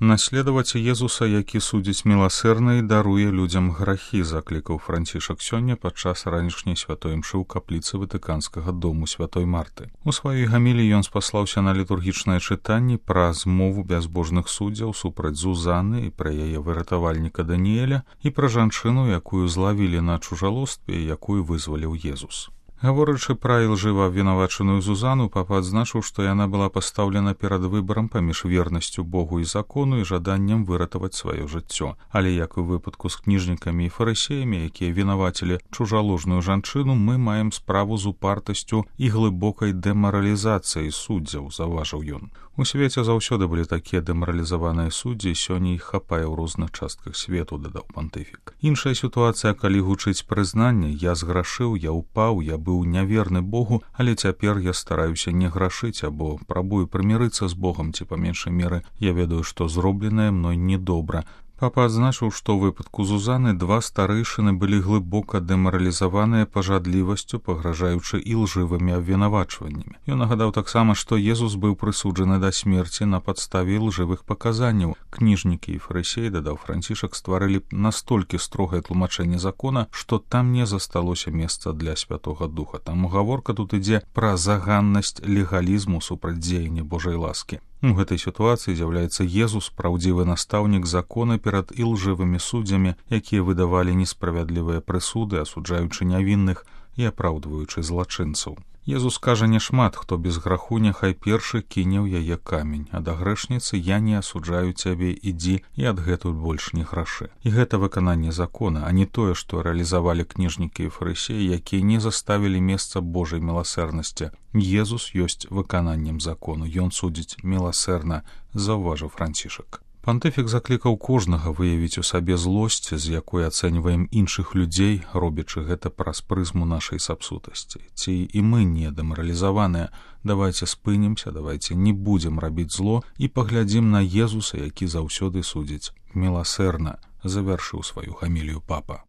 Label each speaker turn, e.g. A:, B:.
A: Наследаваць Езуса, які судзіць міласэрна і даруе людзям грахі, заклікаў Францішак сёння падчас ранішняй святой імшы ў капліцы Ватыканскага дому святой Марты. У сваёй гаміліі ён спаслаўся на літургічнае чытанні пра змову бязбожных суддзяў супраць Зузаны і пра яе выратавальніка Даніэля і пра жанчыну, якую злавілі на чужалостве і якую вызваліў Езус. Гаворачы пра ілжыва абвінавачаную Зузану, папа адзначыў, што яна была пастаўлена перад выбарам паміж вернасцю Богу і закону і жаданнем выратаваць сваё жыццё. Але, як і ў выпадку з кніжнікамі і фарысеямі, якія вінавацілі чужаложную жанчыну, мы маем справу з упартасцю і глыбокай дэмаралізацыяй суддзяў, заўважыў ён. У свеце заўсёды былі такія дэмаралізаваныя суддзі, сёння іх хапае ў розных частках свету, дадаў пантыфік. Іншая сітуацыя, калі гучыць прызнанне: я зграшыў, я ўпаў, я быў няверны Богу, але цяпер я стараюся не грашыць або прабую прымірыцца з Богам, ці па меншай меры я ведаю, што зробленае мной недобра. Папа адзначыў, што ў выпадку Зузаны два старэйшыны былі глыбока дэмаралізаваныя пажадлівасцю, пагражаючы ілжывымі абвінавачваннямі. Ён нагадаў таксама, што Езус быў прысуджаны да смерці на падставе ілжывых паказанняў. Кніжнікі і фарысеі, дадаў Францішак, стварылі настолькі строгае тлумачэнне закона, што там не засталося месца для Святога Духа. Таму гаворка тут ідзе пра заганнасць легалізму супраць дзеяння Божай ласкі. У гэтай сітуацыі з'яўляецца Езус, праўдзівы настаўнік закона перад ілжывымі суддзямі, якія выдавалі несправядлівыя прысуды, асуджаючы нявінных і апраўдваючы злачынцаў. Езус кажа няшмат, хто без граху няхай першы кіне ў яе камень, а да грэшніцы: я не асуджаю цябе, ідзі і адгэтуль больш не грашы. І гэта выкананне закона, а не тое, што рэалізавалі кніжнікі і фарысеі, якія не заставілі месца Божай міласэрнасці. Езус ёсць выкананнем закону, ён судзіць міласэрна, заўважыў Францішак. Пантыфік заклікаў кожнага выявіць у сабе злосць, з якой ацэньваем іншых людзей, робячы гэта праз прызму нашай сапсутасці. Ці і мы не дэмаралізаваныя. Давайце спынімся, давайце не будзем рабіць зло і паглядзім на Езуса, які заўсёды судзіць міласэрна, завяршыў сваю гамілію папа.